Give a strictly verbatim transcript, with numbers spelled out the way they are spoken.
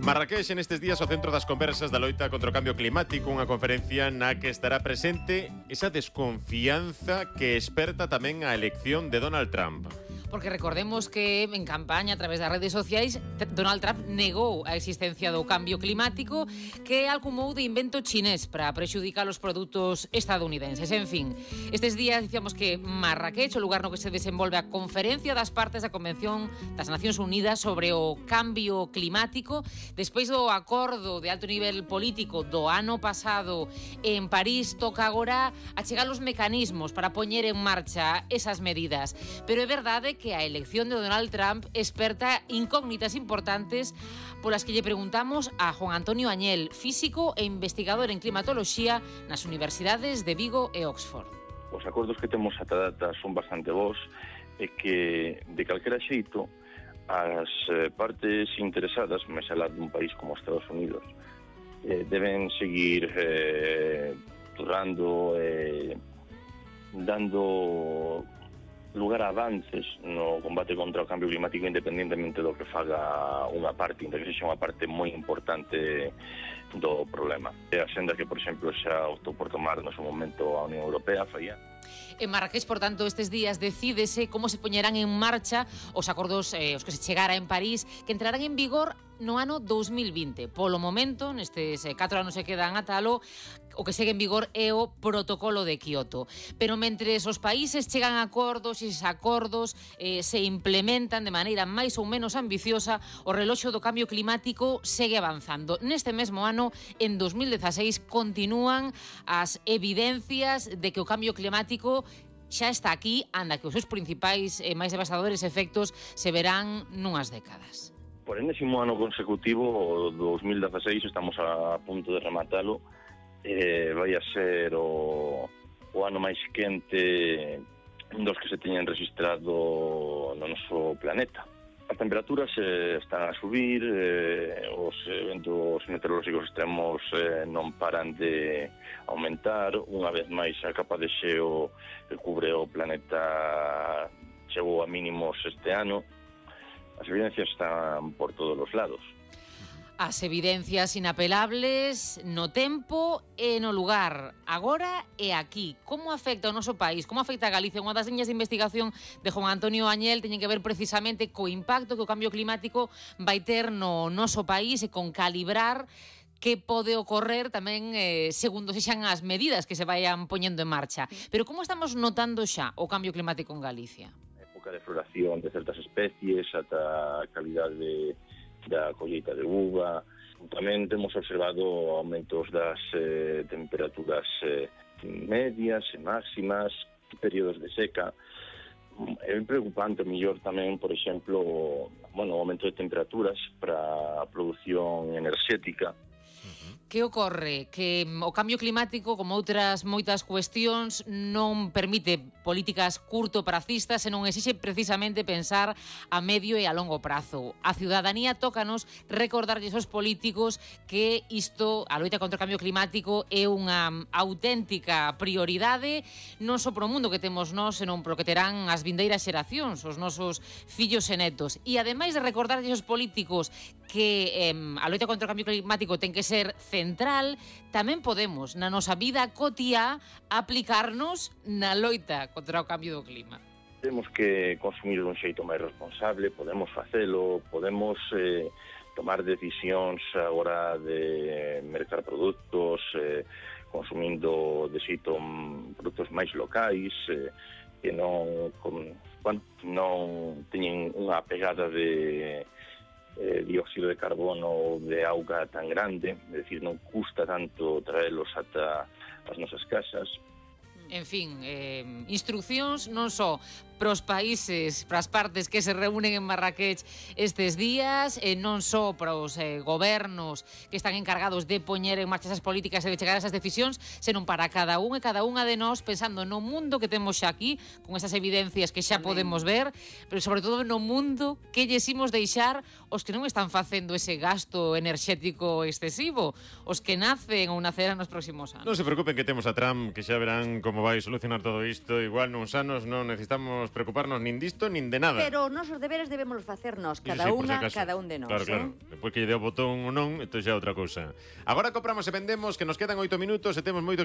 Marrakech en estes días o centro das conversas da loita contra o cambio climático, unha conferencia na que estará presente esa desconfianza que esperta tamén a elección de Donald Trump. Porque recordemos que en campaña a través das redes sociais Donald Trump negou a existencia do cambio climático que alcumou de invento chinés para prexudicar os produtos estadounidenses. En fin, estes días dicíamos que Marrakech, o lugar no que se desenvolve a conferencia das partes da Convención das Nacións Unidas sobre o cambio climático, despois do acordo de alto nivel político do ano pasado en París, toca agora achegar os mecanismos para poñer en marcha esas medidas. Pero é verdade que a elección de Donald Trump esperta incógnitas importantes polas que lle preguntamos a Juan Antonio Añel, físico e investigador en climatoloxía nas universidades de Vigo e Oxford. Os acordos que temos ata data son bastante bons e que, de calquera xeito, as partes interesadas, máis alá dun país como Estados Unidos, eh, deben seguir eh, turrando e eh, dando lugar a avances no combate contra o cambio climático independentemente do que faga unha parte, inda que sexa unha parte moi importante do problema. É a senda que, por exemplo, xa optou por tomar no seu momento a Unión Europea, falla. En Marrakech, por tanto, estes días decídese como se poñerán en marcha os acordos eh, os que se chegara en París, que entrarán en vigor no ano dous mil vinte. Polo momento, nestes eh, catro anos se quedan a talo, o que segue en vigor é o protocolo de Kioto. Pero mentres os países chegan a acordos e eses acordos eh, se implementan de maneira máis ou menos ambiciosa, o reloxo do cambio climático segue avanzando. Neste mesmo ano, en dous mil dezaseis, continúan as evidencias de que o cambio climático xa está aquí, anda que os seus principais e máis devastadores efectos se verán nunhas décadas. Por enésimo ano consecutivo, o dous mil dezaseis, estamos a punto de rematalo, eh, vai a ser o, o ano máis quente dos que se teñen registrado no noso planeta. As temperaturas eh, están a subir, eh, os eventos meteorolóxicos extremos eh, non paran de aumentar. Unha vez máis, a capa de xeo que cubre o planeta chegou a mínimos este ano. As evidencias están por todos os lados. As evidencias inapelables no tempo e no lugar, agora e aquí. Como afecta o noso país? Como afecta a Galicia? Unha das liñas de investigación de Juan Antonio Añel teñen que ver precisamente co impacto que o cambio climático vai ter no noso país e con calibrar que pode ocorrer tamén eh, segundo sexan as medidas que se vayan poñendo en marcha. Pero como estamos notando xa o cambio climático en Galicia? A época de floración de certas especies, ata a calidade de da colleita de uva. Tamén temos observado aumentos das eh, temperaturas eh, medias e máximas, períodos de seca. É preocupante, mellor tamén, por exemplo, bueno, o aumento de temperaturas para a produción enerxética. Que ocorre? Que o cambio climático, como outras moitas cuestións, non permite políticas curto-pracistas, senón exixe precisamente pensar a medio e a longo prazo. A ciudadanía tócanos recordarlles aos políticos que isto, a loita contra o cambio climático, é unha auténtica prioridade non só pro mundo que temos nós, senón pro que terán as vindeiras xeracións, os nosos fillos e netos. E ademais de recordarlles aos políticos que eh, a loita contra o cambio climático ten que ser central, tamén podemos, na nosa vida cotiá, aplicarnos na loita contra o cambio do clima. Temos que consumir dun xeito máis responsable, podemos facelo, podemos eh, tomar decisións agora de mercar produtos, eh, consumindo de xeito produtos máis locais, eh, que non, con, bueno, non teñen unha pegada de Eh, dióxido de carbono ou de auga tan grande, é dicir, non custa tanto traelos ata as nosas casas. En fin, eh, instruccións non só para os países, para as partes que se reúnen en Marrakech estes días, e non só para os eh, gobernos que están encargados de poñer en marcha esas políticas e de chegar a esas decisións, senón para cada un e cada unha de nós, pensando no mundo que temos xa aquí, con esas evidencias que xa podemos ver, pero sobre todo no mundo que lles imos deixar os que non están facendo ese gasto enerxético excesivo, os que nacen ou nacerán nos próximos anos. Non se preocupen que temos a Trump, que xa verán como vai solucionar todo isto. Igual nuns anos non necesitamos podemos preocuparnos nin disto nin de nada. Pero os nosos deberes debemos facernos, Iso cada sí, por si unha, acaso. cada un de nós. Claro, claro. Eh? Depois que lle deu o botón ou non, entón xa é outra cousa. Agora compramos e vendemos, que nos quedan oito minutos e temos moito